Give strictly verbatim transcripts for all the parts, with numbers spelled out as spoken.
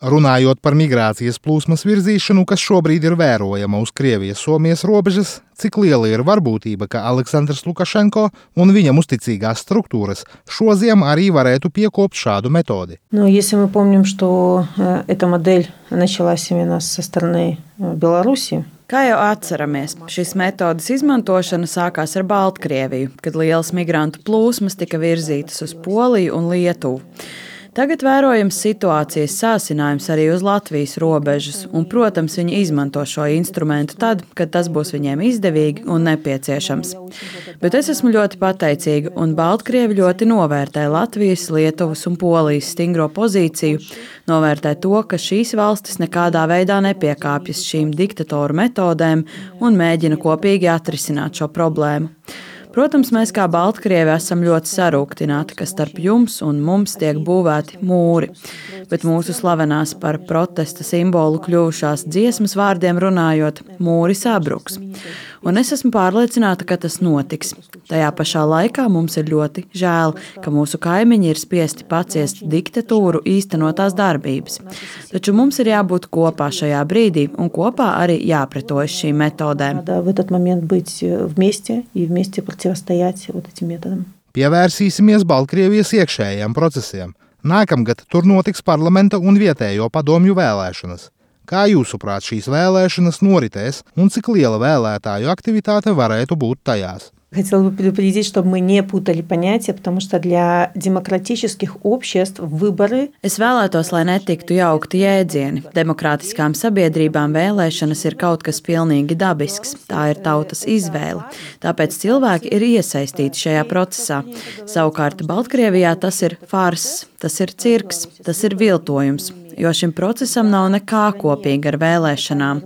Runājot par migrācijas plūsmas virzīšanu, kas šobrīd ir vērojama uz Krievijas-Somijas robežas, cik liela ir varbūtība, ka Aleksandrs Lukašenko un viņam uzticīgās struktūras šoziem arī varētu piekopt šādu metodi? Но если мы помним, что эта модель началась именно со стороны Беларуси, Kā jau atceramies, šīs metodes izmantošana sākās ar Baltkrieviju, kad lielas migrantu plūsmas tika virzītas uz Poliju un Lietuvu. Tagad vērojams situācijas sāsinājums arī uz Latvijas robežas, un, protams, viņi izmanto šo instrumentu tad, kad tas būs viņiem izdevīgi un nepieciešams. Bet es esmu ļoti pateicīga, un Baltkrievi ļoti novērtē Latvijas, Lietuvas un Polijas stingro pozīciju, novērtē to, ka šīs valstis nekādā veidā nepiekāpjas šīm diktatoru metodēm un mēģina kopīgi atrisināt šo problēmu. Protams, mēs kā Baltkrievi esam ļoti sarūktināti, ka starp jums un mums tiek būvēti mūri, bet mūsu slavenās par protesta simbolu kļuvušās dziesmas vārdiem runājot, mūri sabruks. Un es esmu pārliecināta, ka tas notiks. Tajā pašā laikā mums ir ļoti žēl, ka mūsu kaimiņi ir spiesti paciest diktatūru īstenotās darbības. Taču mums ir jābūt kopā šajā brīdī un kopā arī jāpretojas šīm metodēm. Pievērsīsimies Baltkrievijas iekšējiem procesiem. Nākamgad tur notiks parlamenta un vietējo padomju vēlēšanas. Kā jūsuprāt šīs vēlēšanas noritēs un cik liela vēlētāju aktivitāte varētu būt tajās? Хотела бы предупредить, чтобы мы не путали понятия, потому что для демократических обществ выборы... Es vēlētos, lai netiktu jaukti jēdzieni. Demokrātiskām sabiedrībām vēlēšanas ir kaut kas pilnīgi dabisks. Tā ir tautas izvēle. Tāpēc cilvēki ir iesaistīti šajā procesā. Savukārt Baltkrievijā tas ir farss, tas ir cirks, tas ir viltojums, jo šim procesam nav nekā kopīga ar vēlēšanām.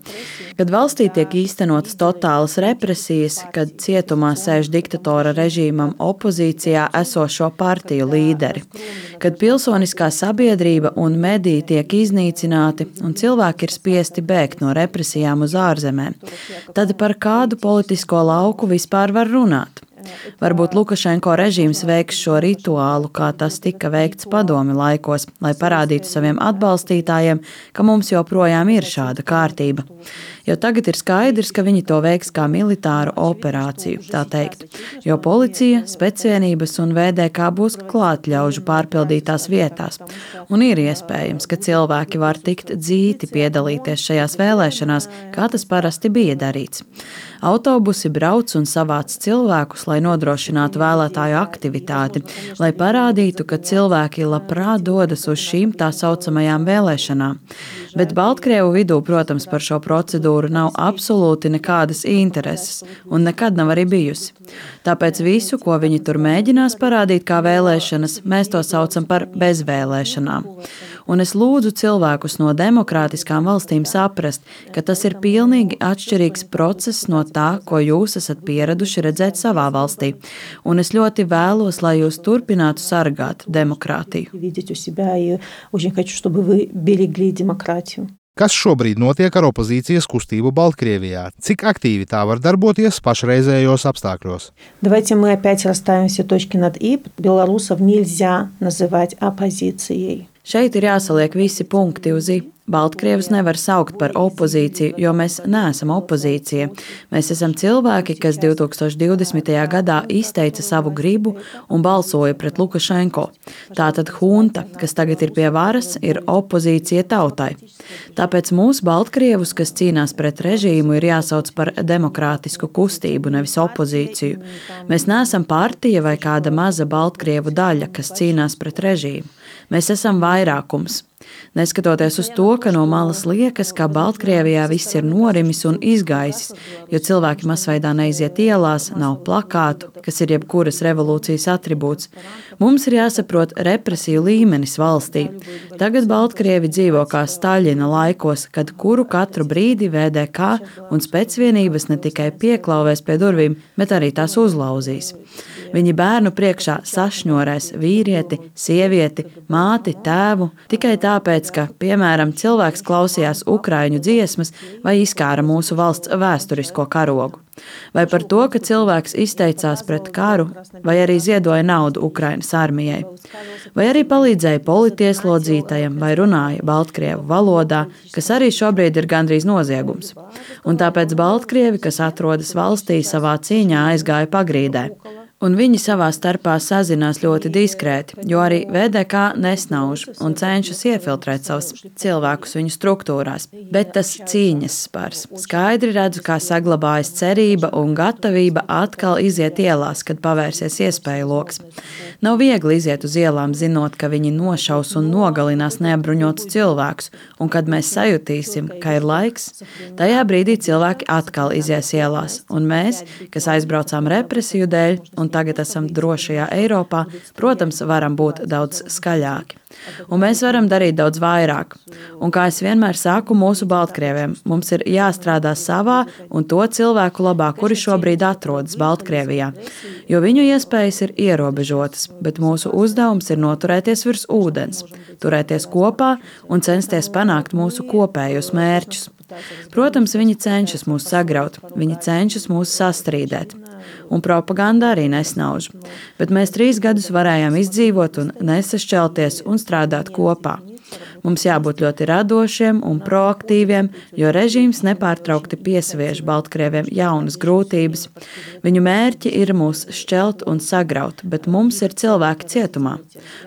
Kad valstī tiek īstenotas totālas represijas, kad cietumā sēž diktatora režīmam opozīcijā esošo partiju līderi, kad pilsoniskā sabiedrība un mediji tiek iznīcināti un cilvēki ir spiesti bēgt no represijām uz ārzemēm, tad par kādu politisko lauku vispār var runāt? Varbūt Lukašenko režīms veiks šo rituālu, kā tas tika veikts padomi laikos, lai parādītu saviem atbalstītājiem, ka mums joprojām ir šāda kārtība. Jo tagad ir skaidrs, ka viņi to veiks kā militāru operāciju, tā teikt, jo policija, specvienības un V D K būs klātļaužu pārpildītās vietās. Un ir iespējams, ka cilvēki var tikt dzīti piedalīties šajās vēlēšanās, kā tas parasti bija darīts. Autobusi brauc un savāc cilvēkus, lai nodrošinātu vēlētāju aktivitāti, lai parādītu, ka cilvēki labprāt dodas uz šīm tā saucamajām vēlēšanām. Bet Baltkrievu vidū, protams, par šo procedūru nav absolūti nekādas intereses un nekad nav arī bijusi. Tāpēc visu, ko viņi tur mēģinās parādīt kā vēlēšanas, mēs to saucam par bezvēlēšanām. Un es lūdzu cilvēkus no demokrātiskām valstīm saprast, ka tas ir pilnīgi atšķirīgs process no tā, ko jūs esat pieraduši redzēt savā valstī. Un es ļoti vēlos, lai jūs turpinātu sargāt demokrātiju. Kas šobrīd notiek ar opozīcijas kustību Baltkrievijā? Cik aktīvi tā var darboties pašreizējos apstākļos? Давайте мы опять расставим все точки над «и». Белорусов нельзя называть оппозицией. Šeit ir jāsaliek visi punkti uz «i». Baltkrievus nevar saukt par opozīciju, jo mēs neesam opozīcija. Mēs esam cilvēki, kas divi tūkstoši divdesmitajā gadā izteica savu gribu un balsoja pret Lukašenko. Tātad hunta, kas tagad ir pie varas, ir opozīcija tautai. Tāpēc mūsu Baltkrievus, kas cīnās pret režīmu, ir jāsauc par demokrātisku kustību, nevis opozīciju. Mēs neesam partija vai kāda maza Baltkrievu daļa, kas cīnās pret režīmu. Mēs esam vairākums. Neskatoties uz to, ka no malas liekas, ka Baltkrievijā viss ir norimis un izgaisis, jo cilvēki masveidā neiziet ielās, nav plakātu, kas ir jebkuras revolūcijas atribūts. Mums ir jāsaprot represiju līmenis valstī. Tagad Baltkrievi dzīvo kā Staļina laikos, kad kuru katru brīdi V D K un specvienības ne tikai pieklauvēs pie durvīm, bet arī tās uzlauzīs. Viņi bērnu priekšā sašņorēs vīrieti, sievieti, māti, tēvu, tikai tāpēc, ka, piemēram, cilvēks klausījās ukraiņu dziesmas vai izkāra mūsu valsts vēsturisko karogu. Vai par to, ka cilvēks izteicās pret karu, vai arī ziedoja naudu Ukrainas armijai. Vai arī palīdzēja politieslodzītajam vai runāja baltkrievu valodā, kas arī šobrīd ir gandrīz noziegums. Un tāpēc baltkrievi, kas atrodas valstī, savā cīņā aizgāja pagrīdē. Un viņi savā starpā sazinās ļoti diskrēti, jo arī V D K nesnauž un cenšas iefiltrēt savus cilvēkus viņu struktūrās. Bet tas cīņas spars. Skaidri redzu, kā saglabājas cerība un gatavība atkal iziet ielās, kad pavērsies iespēju loks. Nav viegli iziet uz ielām, zinot, ka viņi nošaus un nogalinās neapbruņotus cilvēkus, un kad mēs sajutīsim, ka ir laiks, tajā brīdī cilvēki atkal izies ielās, un mēs, kas aizbraucām represiju dēļ, un tagad esam drošajā Eiropā, protams, varam būt daudz skaļāki. Un mēs varam darīt daudz vairāk. Un kā es vienmēr saku mūsu baltkrieviem, mums ir jāstrādā savā un to cilvēku labā, kuri šobrīd atrodas Baltkrievijā, jo viņu iespējas ir ierobežotas, bet mūsu uzdevums ir noturēties virs ūdens, turēties kopā un censties panākt mūsu kopējos mērķus. Protams, viņi cenšas mūs sagraut, viņi cenšas mūs sastrīdēt. Un propaganda arī nesnauž. Bet mēs trīs gadus varējām izdzīvot un nesašķelties un strādāt kopā. Mums jābūt ļoti radošiem un proaktīviem, jo režīms nepārtraukti piesviež baltkrieviem jaunas grūtības. Viņu mērķi ir mūs šķelt un sagraut, bet mums ir cilvēki cietumā.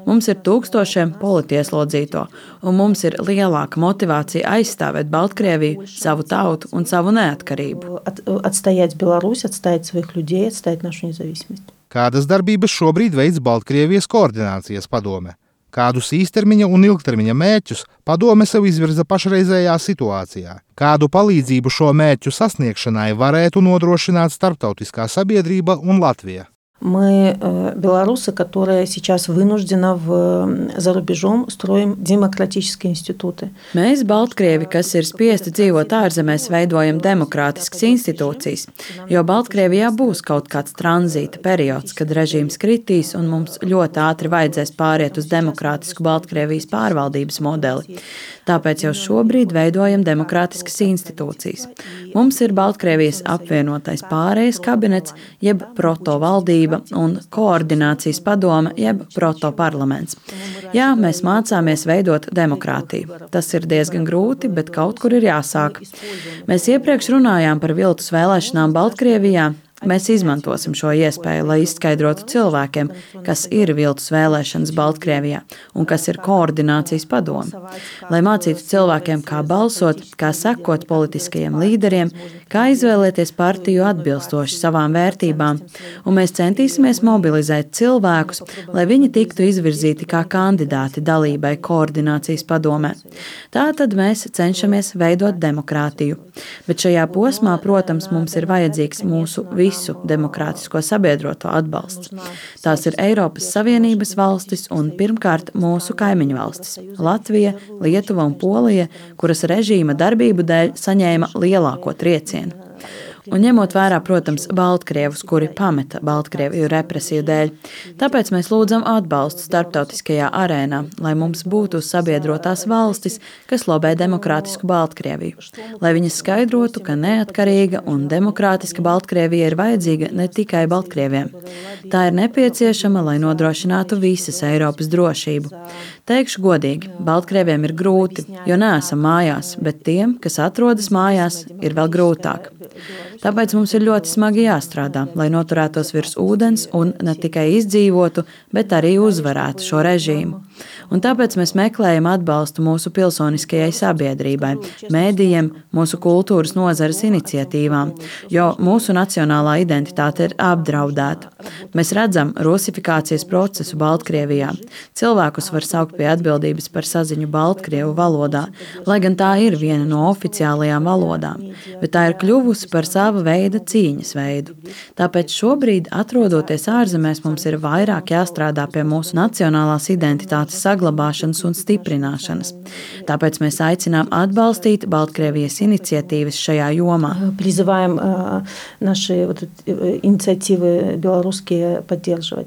Mums ir tūkstošiem politieslodzīto, un mums ir lielāka motivācija aizstāvēt Baltkrieviju, savu tautu un savu neatkarību. Atstājāt Belarusi, atstājāt savus людей, atstājāt našu nezavismību. Kādas darbības šobrīd veids Baltkrievijas koordinācijas padome? Kādus īstermiņa un ilgtermiņa mērķus padome sev izvirza pašreizējā situācijā? Kādu palīdzību šo mērķu sasniegšanai varētu nodrošināt starptautiskā sabiedrība un Latvija? Мы, белорусы, которые сейчас вынуждены в, за рубежом, строим демократические институты. Mēs, Baltkrievi, kas ir spiesti dzīvot ārzemēs, veidojam demokrātiskas institūcijas, jo Baltkrievijā būs kaut kāds tranzīta periods, kad režīms kritīs un mums ļoti ātri vajadzēs pāriet uz demokrātisku Baltkrievijas pārvaldības modeli. Tāpēc jau šobrīd veidojam demokrātiskas institūcijas. Mums ir Baltkrievijas apvienotais pārējais kabinets, jeb protovaldība un koordinācijas padome, jeb protoparlaments. Jā, mēs mācāmies veidot demokrātiju. Tas ir diezgan grūti, bet kaut kur ir jāsāk. Mēs iepriekš runājām par viltus vēlēšanām Baltkrievijā. Mēs izmantosim šo iespēju, lai izskaidrotu cilvēkiem, kas ir viltus vēlēšanas Baltkrievijā un kas ir koordinācijas padome. Lai mācītu cilvēkiem, kā balsot, kā sekot politiskajiem līderiem, kā izvēlēties partiju atbilstoši savām vērtībām, un mēs centīsimies mobilizēt cilvēkus, lai viņi tiktu izvirzīti kā kandidāti dalībai koordinācijas padomē. Tātad mēs cenšamies veidot demokrātiju. Bet šajā posmā, protams, mums ir vajadzīgs mūsu visu demokrātisko sabiedroto atbalsts. Tās ir Eiropas Savienības valstis un pirmkārt mūsu kaimiņu valstis – Latvija, Lietuva un Polija, kuras režīma darbību dēļ saņēma lielāko triecienu. Un ņemot vērā, protams, Baltkrievus, kuri pameta Baltkrieviju represiju dēļ. Tāpēc mēs lūdzam atbalstu starptautiskajā arēnā, lai mums būtu sabiedrotās valstis, kas lobē demokrātisku Baltkrieviju. Lai viņas skaidrotu, ka neatkarīga un demokrātiska Baltkrievija ir vajadzīga ne tikai Baltkrieviem. Tā ir nepieciešama, lai nodrošinātu visas Eiropas drošību. Teikšu godīgi, Baltkrieviem ir grūti, jo neesam mājās, bet tiem, kas atrodas mājās, ir vēl grūtāk. Tāpēc mums ir ļoti smagi jāstrādā, lai noturētos virs ūdens un ne tikai izdzīvotu, bet arī uzvarētu šo režīmu. Un tāpēc mēs meklējam atbalstu mūsu pilsoniskajai sabiedrībai, mēdījiem, mūsu kultūras nozares iniciatīvām, jo mūsu nacionālā identitāte ir apdraudēta. Mēs redzam rusifikācijas procesu Baltkrievijā. Cilvēkus var saukt pie atbildības par saziņu baltkrievu valodā, lai gan tā ir viena no oficiālajām valodām, bet tā ir kļuvusi par sava veida cīņas veidu. Tāpēc šobrīd, atrodoties ārzemēs, mums ir vairāk jāstrādā pie mūsu nacionālās identitātes demokrātijas saglabāšanas un stiprināšanas. Tāpēc mēs aicinām atbalstīt Baltkrievijas iniciatīvas šajā jomā. Призываем наши вот инициативы белорусские поддерживать.